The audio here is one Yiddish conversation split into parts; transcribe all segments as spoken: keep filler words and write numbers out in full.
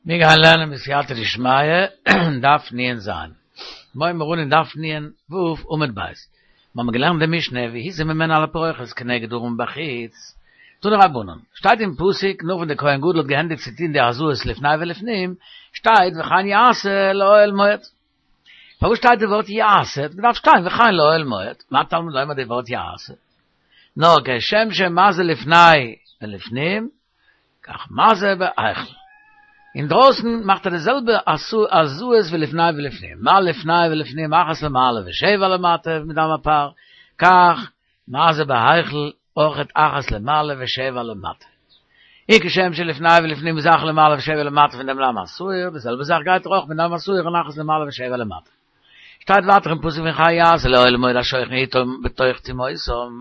מיר גייען לערנען בסייעתא דשמיא, דף נ"ז. מיר הייבן אן אין דף נ"ו עמוד ב'. מיר האבן געלערנט די משנה והזה ממנו על הפרוכת כנגד הארון בחוץ. תנו רבנן, שטייט אין פסוק נאך ווען דער כהן גדול האט געענדיגט צו טון די הזאות לפני ולפנים, שטייט וכן יעשה לאוהל מועד. פארוואס שטייט די ווארט יעשה? האט געדארפט שטיין וכן לאוהל מועד. מה תלמוד לומר די ווארט יעשה? נאר כשם שמזה לפני ולפנים, כך מזה בהיכל. אינדרויסן מאכט ער די זעלבע הזאות ווי לפני ולפנים, מה לפני ולפנים אחת למעלה ושבע למטה מדם הפר, כך מזה בהיכל אויכעט אחת למעלה ושבע למטה. און כשם שלפני ולפנים איז אחת למעלה ושבע למטה פון דעם דם השעיר, די זעלבע זאך גייט ער אויך מיט דם השעיר און אחת למעלה ושבע למטה. שטייט ווייטער אין פסוק וכן יעשה לאוהל מועד השוכן אתם בתוך טומאותם,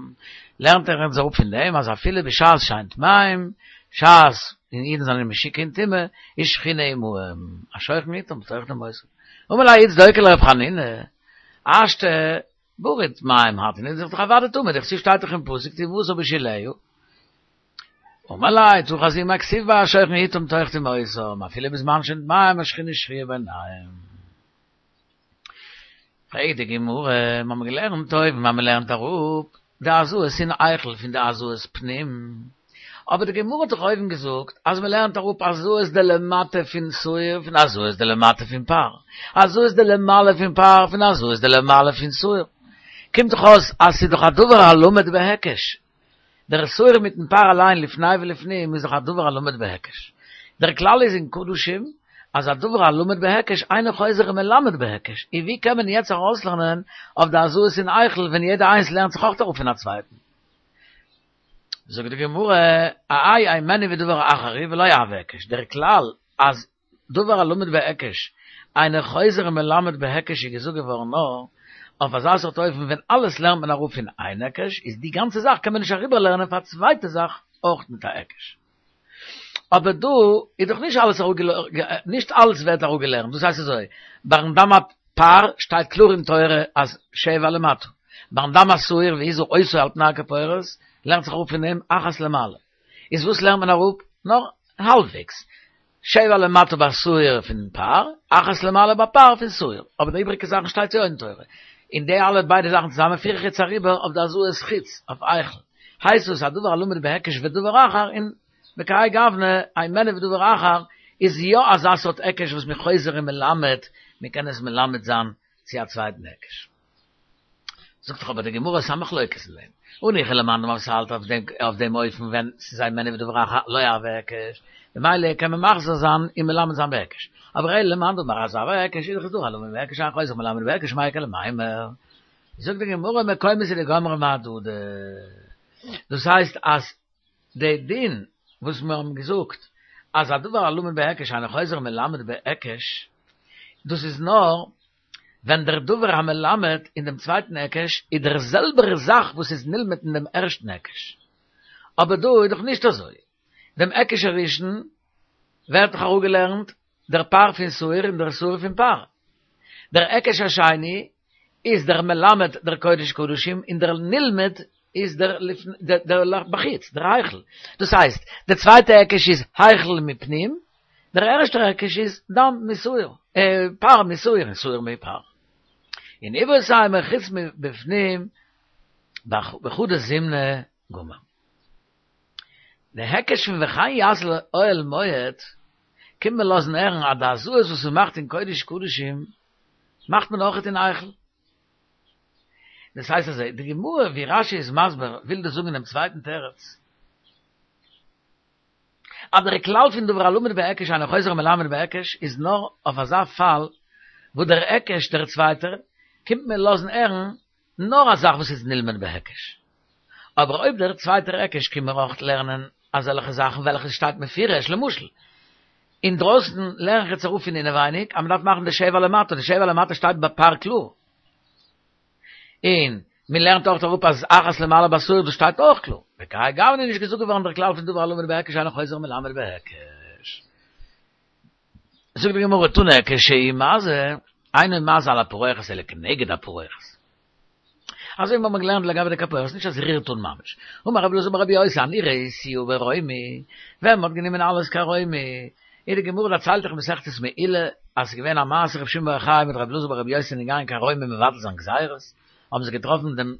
לערנט ער אונז אראפ פון דעם אז אפילו בשעת שאין טמאים, בשעת ווען אידן זענען משוקע אין טומאה, איז שכינה עמהם, השוכן אתם בתוך טומאותם. אמר ליה ההוא צדוקי לרב חנינא, השתא ברי טמאים הטעין, איז דאך אוודאי טמא, דכתיב שטייט דאך אין פסוק טומאתם בשוליה. אמר ליה, תא חזי מאי כתיב ביה השוכן אתם בתוך טומאותם, אפילו בזמן שהן טמאים השכינה שרויה ביניהם. פרעגט די גמרא, מיר האבן געלערנט אויבן אז מען לערנט אראפ די הזאות אין היכל פון די הזאות פנים, אבער די גמרא האט דאך אויבן געזאגט אז מען לערנט אראפ הזאות דלמטה פון שעיר פון הזאות דלמטה פון פר, הזאות דלמעלה פון פר פון הזאות דלמעלה פון שעיר, קומט דאך אויס אז ס'איז דאך א דבר הלמד בהיקש, דער שעיר מיטן פר אליין לפני ולפנים איז דאך א דבר הלמד בהיקש. דער כלל איז אין קדשים אז א דבר הלמד בהיקש אינו חוזר ומלמד בהיקש, און ווי קען מען יעצט ארויסלערנען אויף די הזאות אין היכל ווען יעדע איינס לערנט זיך אויך אראפ פון א צווייטן? זאגט די גמרא, האי הימנו ודבר אחר הוא ולא הוי היקש, דער כלל אז דבר הלמד בהיקש אינו חוזר ומלמד בהיקש איז געזאגט געווארן נאר אויף אזא סארט אופן ווען אלעס לערנט מען אראפ פון איין היקש איז די גאנצע זאך קען מען נישט אריבער לערנען פאר א צווייטע זאך אויך מיט א היקש. אבער דא איז דאך נישט אלעס נישט אלעס ווערט אראפגעלערנט דאס הייסט אזוי ביים דם הפר שטייט קלאר אין תורה אז שבע למטה ביים דם השעיר והזה אותו על פני הכפורת לערנט זיך אראפ פון דעם אחת למעלה איז וואס לערנט מען אראפ? נאר האלבוועגס שבע למטה ביי שעיר פון פר, אחת למעלה ביי פר פון שעיר, אבער די איבריגע זאכן שטייט יא אין תורה, און די אלע ביידע זאכן צוזאמען פיר איך יעצט אריבער אויף די הזאות חוץ, אויף היכל, הייסט עס א דבר הלמד בהיקש ודבר אחר, און בכהאי גוונא, הימנו ודבר אחר, איז יא אזא סארט היקש וואס מ'איז חוזר און מלמד, מ'קען עס מלמד זיין צו א צווייטן היקש. זאגט דאך אבער די גמרא ס'איז א מחלוקת אין דעם. הניחא למאן דאמר וואס האלט אויף דעם אויף דעם אופן ווען ס'איז הימנו ודבר אחר לא הוי היקש, במילא קען מען מחזיר זיין און מלמד זיין בהיקש. אבער אלא למאן דאמר אז הוי היקש איז דאך דבר הלמד בהיקש אין חוזר ומלמד בהיקש מאי איכא למימר. זאגט די גמרא מקומות הוא דגמרי מהדדי. דאס הייסט אז די דין וואס מיר האבן געזאגט אז א דבר הלמד בהיקש אינו חוזר ומלמד בהיקש, דאס איז נאר ווען דער דבר המלמד אין דעם צווייטן היקש איז דער זעלבער זאך וואס איז נלמד אין דעם ערשטן היקש. אבער דא איז דאך נישט אזוי. דעם היקש הראשון ווערט דאך אראפגעלערנט דער פר פון שעיר און דער שעיר פון פר. דער היקש השני איז דער מלמד דער קודש קדשים און דער נלמד איז דער דער בחוץ, דער היכל. דאס הייסט, דער צווייטער היקש איז היכל מפנים, דער ערשטער היקש איז דם משעיר, פר משעיר און שעיר מפר. און איבעית אימא חוץ מבפנים בחדא זימנא גמר. די היקש פון וכן יעשה לאוהל מועד קומט מען לאזן הערן אז די הזאות וואס מען מאכט אין קודש קדשים מאכט מען אויכעט אין היכל. דאס הייסט אזוי, די גמרא ווי רש"י איז מסביר וויל דאס זאגן אינעם צווייטן תירוץ, אז דער כלל פון דבר הלמד בהיקש אינו חוזר ומלמד בהיקש איז נאר אויף אזא פאל וואו דער היקש דער צווייטער קומט מיר לאזן הערן נאר א זאך וואס איז נלמד בהיקש. אבער אויב דער צווייטער היקש קומט מיר אויך לערנען אזעלכע זאכן וועלכע שטייט מפורש, למשל, אינדרויסן לערן איך יעצט אראפ פון אינעווייניג אז מ'דארף מאכן די שבע למטה, די שבע למטה שטייט ביי פר קלאר. און מען לערנט אויך אראפ אז אחת למעלה בשעיר דאס שטייט אויך קלאר. בכהאי גוונא איז נישט געזאגט געווארן דער כלל פון דבר הלמד בהיקש אינו חוזר ומלמד בהיקש. זאגט די גמרא תנא כשהוא מזה, אינו מזה על הפרוכת אלא כנגד הפרוכת. אזוי ווי מיר האבן געלערנט לגבי די כפורת, נישט אז רירט אן ממש. אמר רבי אלעזר ברבי יוסי אני ראיתיה ברומי, ווען מען האט גענומען אלעס קיין רומי, אין די גמרא דערציילט דאך מסכת מעילה אז ס'איז געווען א מעשה רבי שמעון בר יוחאי מיט רבי אלעזר ברבי יוסי זענען געגאנגען קיין רוים מבטל זיין גזירות, האבן זיי געטראפן דעם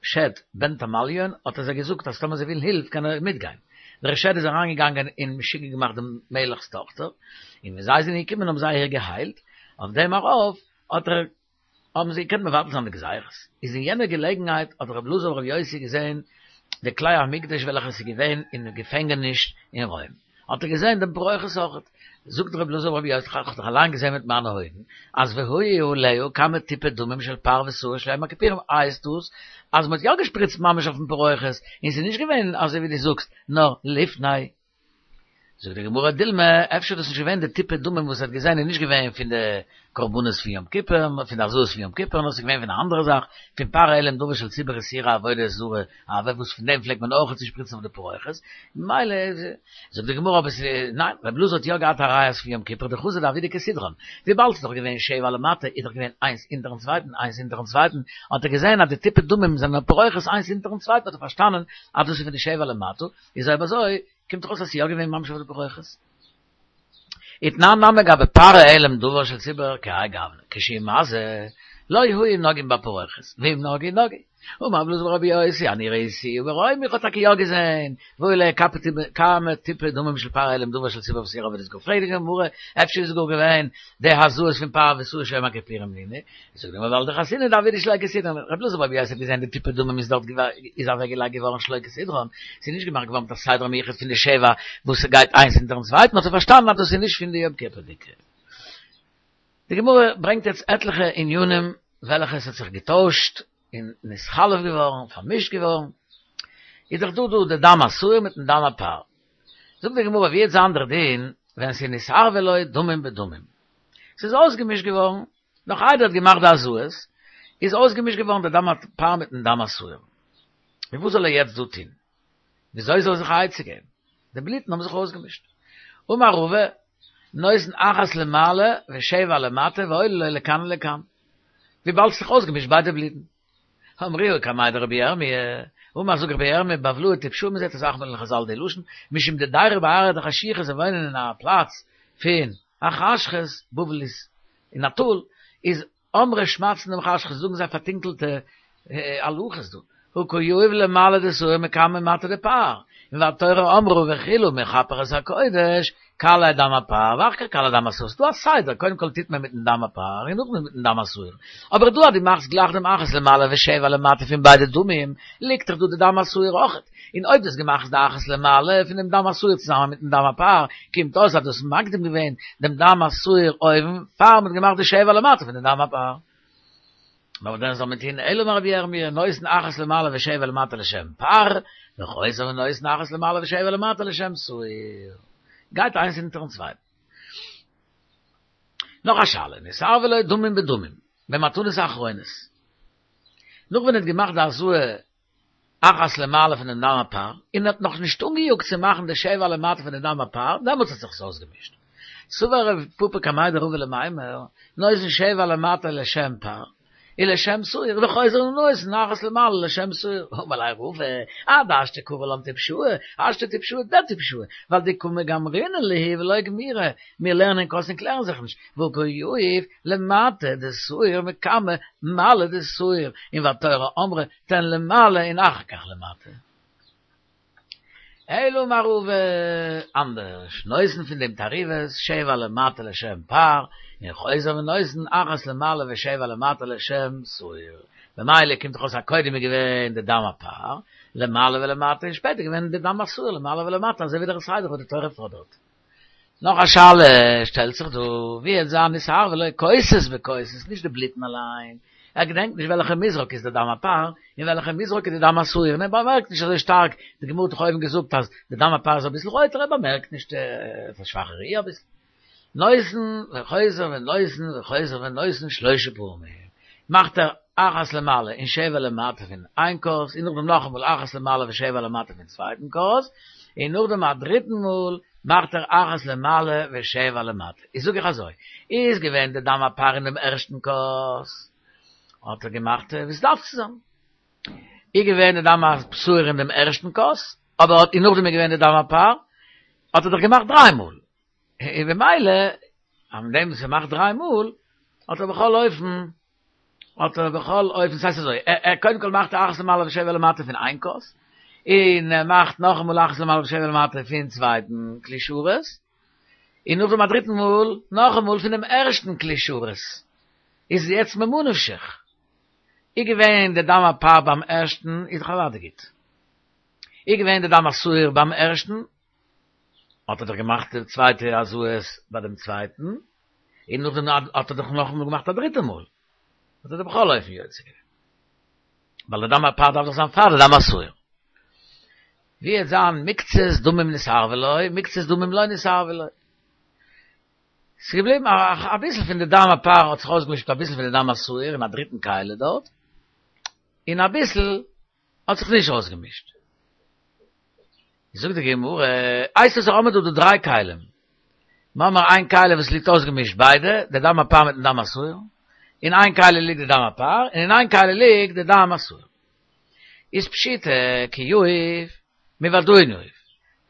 שד בן תמליון, האט ער זיי געזאגט אז טאמער זיי ווילן הילף קען ער מיטגיין. דער שד איז אריינגעגאנגען און משוגע געמאכט דעם מלך'ס טאכטער, און ווען זיי זענען געקומען האבן זיי איר געהיילט, אויף דעם ארויף האט ער האבן זיי געקענט מבטל זיין די גזירות. איז אין יענער געלעגנהייט האט רבי אלעזר ברבי יוסי געזען די כלי המקדש וועלכע איז געווען אין געפענגעניש אין רוים, האט ער געזען דעם פרוכת אויכעט. זאגט רבי אלעזר ברבי יוסי, איך האב דאך אליין געזען מיט מיינע אויגן, אז והיו עליה כמה טיפי דמים של פר ושעיר של יום הכיפורים, הייסט דאס אז מען האט יא געשפריצט ממש אויפן פרוכת, און ס'איז נישט געווען אזוי ווי דו זאגסט, נאר לפני. זאגט די גמרא דילמא, אפשר איז דאס נישט געווען די טיפי דמים וואס ער האט געזען איז נישט געווען פון די קרבנות פון יום כיפור, פון די הזאות פון יום כיפור, נאר ס'איז געווען פון א אנדערע זאך, פון פר העלם דבר של ציבור ושעירי עבודה זרה, אבער וואס פון דעם פלעגט מען אויך צו שפריצן אויף די פרוכת, ממילא זאגט די גמרא אבער ס'איז ניין, רבי אלעזר האט יא געהאט א ראיה אז פון יום כיפור דחזא דעבידא כסדרן, וויבאלד ס'איז דאך געווען שבע למטה איז דאך געווען איינס אונטערן צווייטן איינס אונטערן צווייטן, האט ער געזען אז די טיפי דמים זענען אויף פרוכת איינס אונטערן צווייטן האט ער פארשטאנען אז דאס איז פון די שבע למטה, איז אויב אזוי קומט דאך אויס אז ס'איז יא געווען ממש אויף די פרוכת. ותנן נמי גבי פר העלם דבר של ציבור כהאי גוונא, כשהוא מזה, לא היו נוגעין בפרוכת, ואם נגעו נגעו. אמר רבי אלעזר ברבי יוסי, אני ראיתיה ברוים, איך האב טאקע יא געזען, והיו עליה כמה טיפי דמים של פר העלם דבר של ציבור ושעירי עבודה זרה. פרעגט די גמרא, אפשר איז גאר געווען די הזאות פון פר ושעיר של יום הכיפורים נינהו? זאגט די גמרא ווייל דחזינהו דעבידא שלא כסדרן, רבי אלעזר ברבי יוסי האט געזען די טיפי דמים איז דארט איז אוועק געלייגט געווארן שלא כסדרן, ס'איז נישט געמאכט געווארן מיט א סדר מיוחד פון די שבע וואס ס'גייט איינס אונטערן צווייטן האט ער פארשטאנען אז דאס איז נישט פון די יום כיפור'דיגע. די גמרא ברענגט יעצט עטליכע ענינים וועלכע עס האט זיך געטוישט און נתחלף געווארן, פארמישט געווארן, איז דאך דא דא די דם השעיר מיטן דם הפר. זאגט די גמרא ווי וועט זיין דער דין ווען ס'איז נתערבו לו דמים בדמים, ס'איז אויסגעמישט געווארן נאך איידער ער האט געמאכט די הזאות, איז אויסגעמישט געווארן די דם הפר מיטן דם השעיר. און וואס זאל ער יעצט דא טון? וויאזוי זאל ער זיך א עצה געבן? די בלוטן האבן זיך אויסגעמישט. אמר רבא, נותן אחת למעלה ושבע למטה ועולה לו לכאן ולכאן. וויבאלד ס'איז זיך אויסגעמישט ביידע בלוטן. אמרוה קמיה דרבי ירמי', אמר זאגט רבי ירמי' בבלאי טפשאי מ'זעט אסאך מאל אין חזל די לשון, משום דדיירי בארעא דחשיכא זיי וואוינען אין א פלאץ פון א חשכות, בבל איז אין א טאל, איז אמרי שמעתתא דמחשכא זאגן זיי פארטונקלטע הלכות דא, הא קא יהיב למעלה דשעיר מקמי מטה דפר, און והתורה אמרה וכלה מכפר את הקודש, קלא דם הפר ואחר כך קלא דם השעיר, ס'דא א סדר, קודם כל טוט מען מיטן דם הפר און נאכדעם מיטן דם השעיר, אבער דא אז דו מאכסט גלייך דעם אחת למעלה ושבע למטה פון ביידע דמים, ליגט דאך דא די דם השעיר אויכעט, און אויב דו האסט געמאכט די אחת למעלה פון דעם דם השעיר צוזאמען מיטן דם הפר, קומט אויס אז דו האסט מקדים געווען דעם דם השעיר אויבן פאר מ'האט געמאכט די שבע למטה פון דעם דם הפר. נאר דען זאל מען טוהן אלא אמר רבי ירמי' נותן אחת למעלה ושבע למטה לשם פר, וחוזר ונותן אחת למעלה ושבע למטה לשם שעיר. גייט איינס אונטערן צווייטן. נאך א שאלה, נתערבו לו דמים בדמים, במתנות האחרונות. נאך ווען ער האט געמאכט די הזאה אחת למעלה פון דעם דם הפר, און ער האט נאך נישט אנגעיאגט צו מאכן די שבע למטה פון דעם דם הפר, דעמאלטס האט זיך עס אויסגעמישט. סבר רב פפא קמיה דרבא למימר, נותן שבע למטה לשם פר, ולשם שעיר, וחוזר ונותן אחת למעלה לשם שעיר. אמר ליה רבא, עד השתא קרי לן טפשאי, השתא טפשאי דטפשאי, ווייל דקא מגמרינן להו ולא גמירי, מיר לערנען כוס און קלערן זיך נישט, והא קא יהיב למטה דשעיר מקמי מעלה דשעיר, און והתורה אמרה תן למעלה און אחר כך למטה. אלא אמר רבא אנדערש, נותן פון דעם תערובת שבע למטה לשם פר, און חוזר ונותן אחת למעלה ושבע למטה לשם שעיר. במילא קומט דאך אויס אז קודם איז געווען די דם הפר, למעלה ולמטה, און שפעטער געווען די דם השעיר למעלה ולמטה, אזוי ווי דער סדר וואס די תורה פאדערט. נאך א שאלה שטעלט זיך דא, ווי וועט זיין נתערבו לו כוסות בכוסות, נישט די בלוטן אליין, ער געדענקט נישט וועלכע מזרק איז די דם הפר, און וועלכע מזרק איז די דם השעיר, און ער באמערקט נישט אזוי שטארק, די גמרא האט דאך אויבן געזאגט אז די דם הפר איז אביסל רויטער, ער באמערקט נישט, ער האט א שוואכע ראי' אביסל. נותן וחוזר ונותן וחוזר ונותן שלשה פעמים, מאכט ער אחת למעלה און שבע למטה פון איין כוס, און נאכדעם נאכאמאל אחת למעלה ושבע למטה פון צווייטן כוס, און נאכדעם א דריטן מאל מאכט ער אחת למעלה ושבע למטה. איז זאג איך אזוי, איז געווען די דם הפר אין דעם ערשטן כוס, האט ער געמאכט ווי ס'דארף צו זיין. איז געווען די דם השעיר אין דעם ערשטן כוס, אבער האט און נאכדעם איז געווען די דם הפר, האט ער דאך געמאכט דריי מאל. אין במילא, am dem ze macht drei Mol, hat er בכל אופן, hat er בכל אופן, das heißt so, er, er קודם כל מאכט אחת למעלה ושבע למטה פון איין כוס, און ער מאכט נאך אמאל אחת למעלה ושבע למטה פון צווייטן כלי שרת, און נאך דעם דריטן מאל, נאך אמאל פון דעם ערשטן כלי שרת. איז יעצט ממה נפשך. איז געווען דער דם הפר ביים ערשטן, איז דאך אוודאי גוט. איז געווען דער דם השעיר ביים ערשטן, האט ער דאך געמאכט די צווייטע הזאות ביי דעם צווייטן, און נאכדעם האט ער דאך נאך אמאל געמאכט א דריטע מאל. האט ער דאך בכל אופן יוצא געווען. ווייל דער דם הפר דארף דאך זיין פאר דער דם השעיר. ווי וועט זיין מקצת דמים נתערבו לו, מקצת דמים לא נתערבו לו. ס'איז געבליבן א ביסל פון די דם הפר האט זיך אויסגעמישט מיט א ביסל פון די דם השעיר אין א דריטן כלי דארט, און א ביסל האט זיך נישט אויסגעמישט. זאגט די גמרא, הייסט עס האמיר דא די דריי כלים. מ'האמיר איין כלי וואס ליגט אויסגעמישט ביידע, די דם הפר מיטן דם השעיר, אין איין כלי ליגט די דם הפר, און אין איין כלי ליגט די דם השעיר. איז פשיטא כי יהיב מודאין יהיב.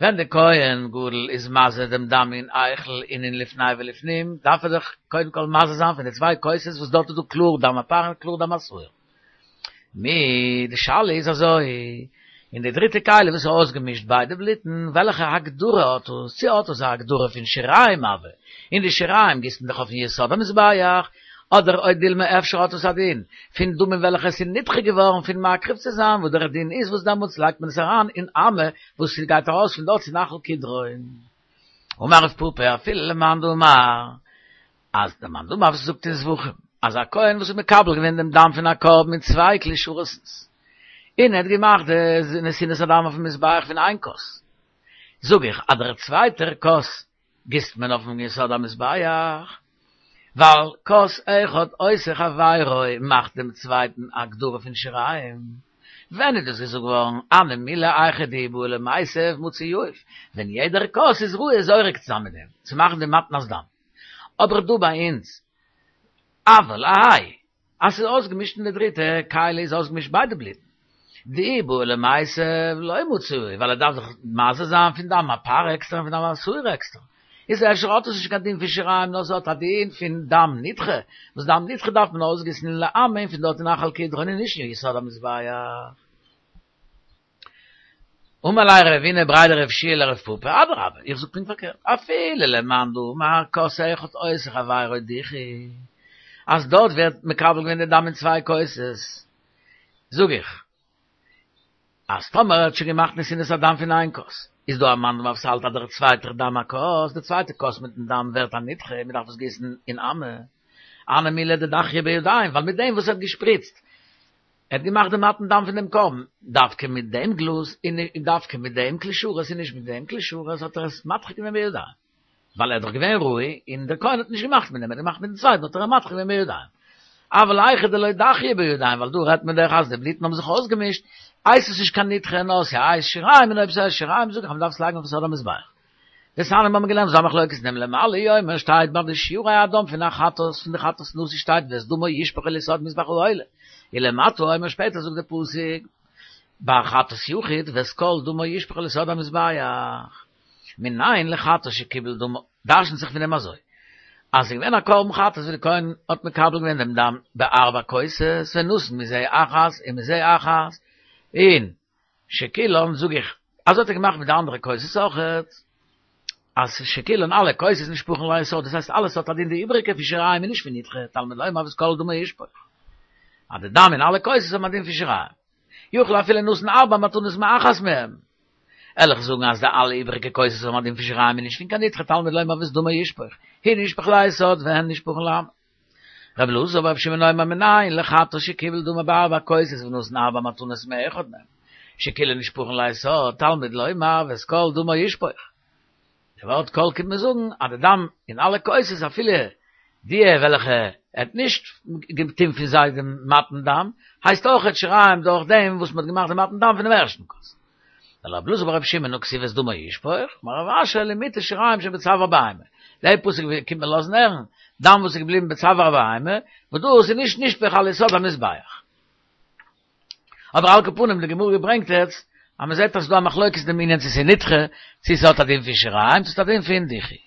ווען די כהן גדול איז מזה דעם דם אין היכל און אין לפני ולפנים, דארף ער דאך קודם כל מזה זיין פון די צוויי כוסות וואס דארט איז דא קלאר דם הפר און קלאר דם השעיר. מי, די שאלה איז אזוי, אין די דריטע כלי וואס איז אויסגעמישט ביידע בלוטן, וועלכע הגדרה האט עס? צו האט עס א הגדרה פון שיריים הוי, און די שיריים גיסט מען דאך אויפן יסוד המזבח, אדער או דילמא אפשר האט עס א דין פון דמים וועלכע עס איז נדחה געווארן פון מקריב צו זיין וואס דער דין איז וואס דעמאלטס לייגט מען עס אריין אין אמה וואס ס'גייט ארויס פון דארט צו נחל קדרון. אמר רב פפא אפילו למאן דאמר אז דער מאן דאמר וואס זאגט אין זבחים אז א כהן וואס איז מקבל געווען דעם דם פון א קרבן אין צוויי כלי שרת'נס און ער האט געמאכט די נתינת הדם אויפן מזבח פון איין כוס זאג איך אז דער צווייטער כוס גיסט מען אויפן יסוד המזבח, ווייל כוס אחד עושה חבירו מאכט דעם צווייטן א הגדרה פון שיריים. ווען איז דאס געזאגט געווארן? הני מילי היכא דאי בעי למיתב מצי יהיב, ווען יעדער כוס איז ראוי זורק צו זיין מיט דעם, צו מאכן די מתנת דם. אבער דא ביי אונז, אבל האי, אז ס'איז אויסגעמישט אין די דריטע כלי איז אויסגעמישט ביידע בלוטן. דאי בעי למיתב לא מצי יהיב, ווייל ער דארף דאך מזה זיין פון דם הפר עקסטער און פון דם השעיר עקסטער. איז אפשר האט עס נישט קיין דין פון שיריים נאר ס'האט א דין פון דם נדחה, וואס דם נדחה דארף מען אויסגיסן לאמה און פון דארט אין נחל קדרון און נישט אין יסוד המזבח. אמר ליה רבינא בריה דרב יהושע לרב פפא, אדרבה, איך זאג פונקט פארקערט, אפילו למאן דאמר כוס אחד עושה חבירו דיחוי, אז דארט ווערט מקבל געווען די דם אין צוויי כוסות, זאג איך, אז טאמער ער האט שוין געמאכט נתינת הדם פון איין כוס, איז דא א מאן דאמר וואס האלט אז דער צווייטער דם הכוס, די צווייטע כוס מיטן דם ווערט א נדחה, מען דארף עס גיסן אין אמה, הני מילי דדחייה בידיים, ווייל מיט דעם וואס ער האט געשפריצט, ער האט געמאכט דעם מתן דם פון דעם קרבן, דווקא מיט דעם גלאז און דווקא מיט דעם כלי שרת און נישט מיט דעם כלי שרת האט ער עס מדחה געווען בידיים, ווייל ער איז דאך געווען ראוי און דער כהן האט נישט געמאכט מיט דעם, ער האט געמאכט מיטן צווייטן האט ער אים מדחה געווען בידיים. אבל היכא דלא דחייה בידיים, ווייל דא רעדט מען דאך אז די בלוטן האבן זיך אויסגעמישט, הייסט עס נישט קיין נדחה נאר ס'הייסט שיריים און אויב ס'הייסט שיריים זאג איך אז מ'דארף עס לייגן אויפן יסוד המזבח. דתניא מיר האבן געלערנט ס'איז א מחלוקת אין דעם למעלה הוא אומר שטייט ביי די שירי הדם פון א חטאת פון די חטאת נשיא שטייט ואת דמו ישפוך אל יסוד מזבח העולה ולמטה הוא אומר שפעטער זאגט די פסוק ביי חטאת יחיד ואת כל דמו ישפוך אל יסוד המזבח מנין לחטאת שקיבל דמו דרשנ'ט זיך פון דעם אזוי אז ס'איז געווען א קרבן חטאת ווי די כהן האט מקבל געווען דעם דם בארבע כוסות ונתן מזה אחת ומזה אחת און שכולן זאג איך, אזוי האט ער געמאכט מיט די אנדערע כוסות אויכעט, אז שכולן אלע כוסות נשפכין ליסוד, דאס הייסט אלעס האט א דין די איבעריגע פון שיריים און נישט פון נדחה, תלמוד לומר ואת כל דמו ישפוך. אז די דם אין אלע כוסות האבן א דין פון שיריים. יכול אפילו נתן ארבע מתנות מאחת מהם. וועל איך זאגן אז די אלע איבעריגע כוסות האבן א דין פון שיריים און נישט פון קיין נדחה, תלמוד לומר ואת דמו ישפוך, הוא נשפך ליסוד והן נשפכין לאמה. רבי אלעזר ברבי שמעון אומר מנין לחטאת שקיבל דמה בארבע כוסות ונתן ארבע מתנות מאחד מהם שכולן נשפכין ליסוד תלמוד לומר ואת כל דמו ישפוך. די ווארט כל קומט מען זאגן אז די דם אין אלע כוסות אפילו די וועלכע ער האט נישט געטון פון זיי דעם מתן דם הייסט אויכעט שיריים דורך דעם וואס מען האט געמאכט דעם מתן דם פונעם ערשטן כוס. ולרבי אלעזר ברבי שמעון הא כתיב ואת דמו ישפוך, אמר רב אשי למעוטי שיריים שבצוואר בהמה. דער פסוק קומט מען לאזן הערן, דם וואס איז געבליבן בצוואר הבהמה, וואס דאס איז נישט נשפך על יסוד המזבח. אבער על כל פנים די גמרא ברענגט יעצט אז מען זעט אז ס'איז דא א מחלוקת אין דעם ענין צו ס'איז נדחה, צו ס'האט א דין פון שיריים, צו ס'האט א דין פון דיחוי.